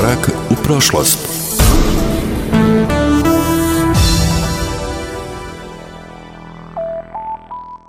Korak u prošlost.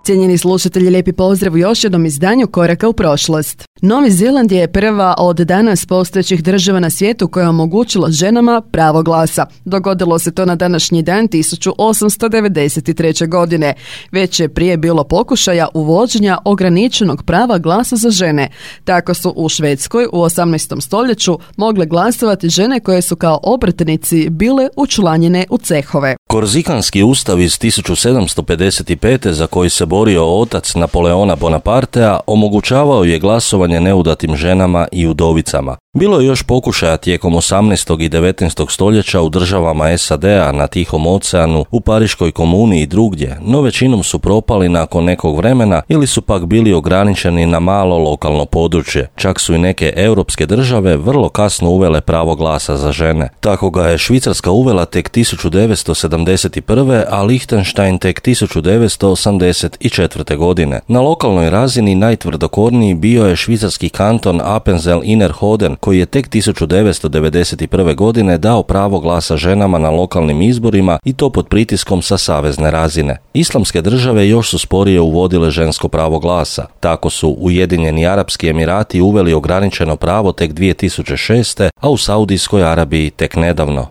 Cijenjeni slušatelji, lijepi pozdrav u još jednom izdanju Koraka u prošlost. Novi Zeland je prva od danas postojećih država na svijetu koja je omogućila ženama pravo glasa. Dogodilo se to na današnji dan 1893. godine. Već je prije bilo pokušaja uvođenja ograničenog prava glasa za žene. Tako su u Švedskoj u 18. stoljeću mogle glasovati žene koje su kao obrtnici bile učlanjene u cehove. Korzikanski ustav iz 1755. za koji se borio otac Napoleona Bonapartea omogućavao je glasovanje neudatim ženama i udovicama. Bilo je još pokušaja tijekom 18. i 19. stoljeća u državama SAD-a, na Tihom oceanu, u Pariškoj komuni i drugdje, no većinom su propali nakon nekog vremena ili su pak bili ograničeni na malo lokalno područje. Čak su i neke europske države vrlo kasno uvele pravo glasa za žene. Tako ga je Švicarska uvela tek 1971. a Lichtenstein tek 1984. godine. Na lokalnoj razini najtvrdokorniji bio je švicarski kanton Appenzell-Innerrhoden, koji je tek 1991. godine dao pravo glasa ženama na lokalnim izborima i to pod pritiskom sa savezne razine. Islamske države još su sporije uvodile žensko pravo glasa. Tako su Ujedinjeni Arapski Emirati uveli ograničeno pravo tek 2006. a u Saudijskoj Arabiji tek nedavno.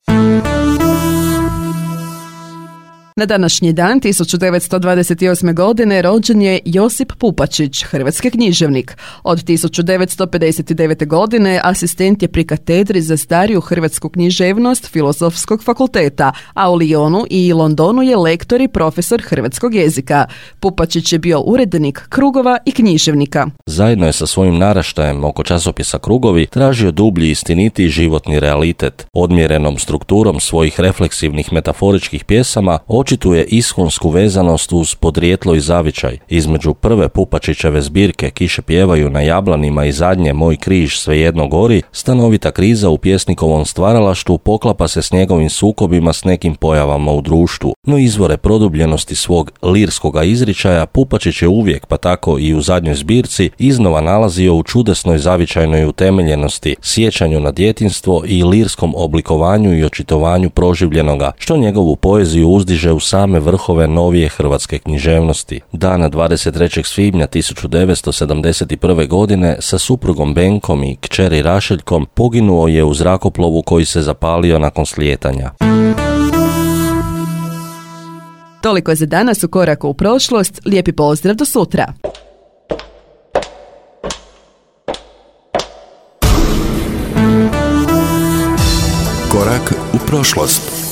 Na današnji dan 1928. godine rođen je Josip Pupačić, hrvatski književnik. Od 1959. godine asistent je pri katedri za stariju hrvatsku književnost Filozofskog fakulteta, a u Lyonu i Londonu je lektor i profesor hrvatskog jezika. Pupačić je bio urednik Krugova i književnika. Zajedno je sa svojim naraštajem oko časopisa Krugovi tražio dublji, istinitiji životni realitet. Odmjerenom strukturom svojih refleksivnih metaforičkih pjesama očituje ishonsku vezanost uz podrijetlo i zavičaj. Između prve Pupačićeve zbirke Kiše pjevaju na jablanima i zadnje Moj križ svejedno gori, stanovita kriza u pjesnikovom stvaralaštvu poklapa se s njegovim sukobima s nekim pojavama u društvu. No izvore produbljenosti svog lirskoga izričaja Pupačić je uvijek, pa tako i u zadnjoj zbirci, iznova nalazio u čudesnoj zavičajnoj utemeljenosti, sjećanju na djetinjstvo i lirskom oblikovanju i očitovanju proživljenoga, što njegovu poeziju uzdiže u same vrhove novije hrvatske književnosti. Dana 23. svibnja 1971. godine sa suprugom Benkom i kćeri Rašeljkom poginuo je u zrakoplovu koji se zapalio nakon slijetanja. Toliko je za danas u Koraku u prošlost. Lijepi pozdrav, do sutra. Korak u prošlost.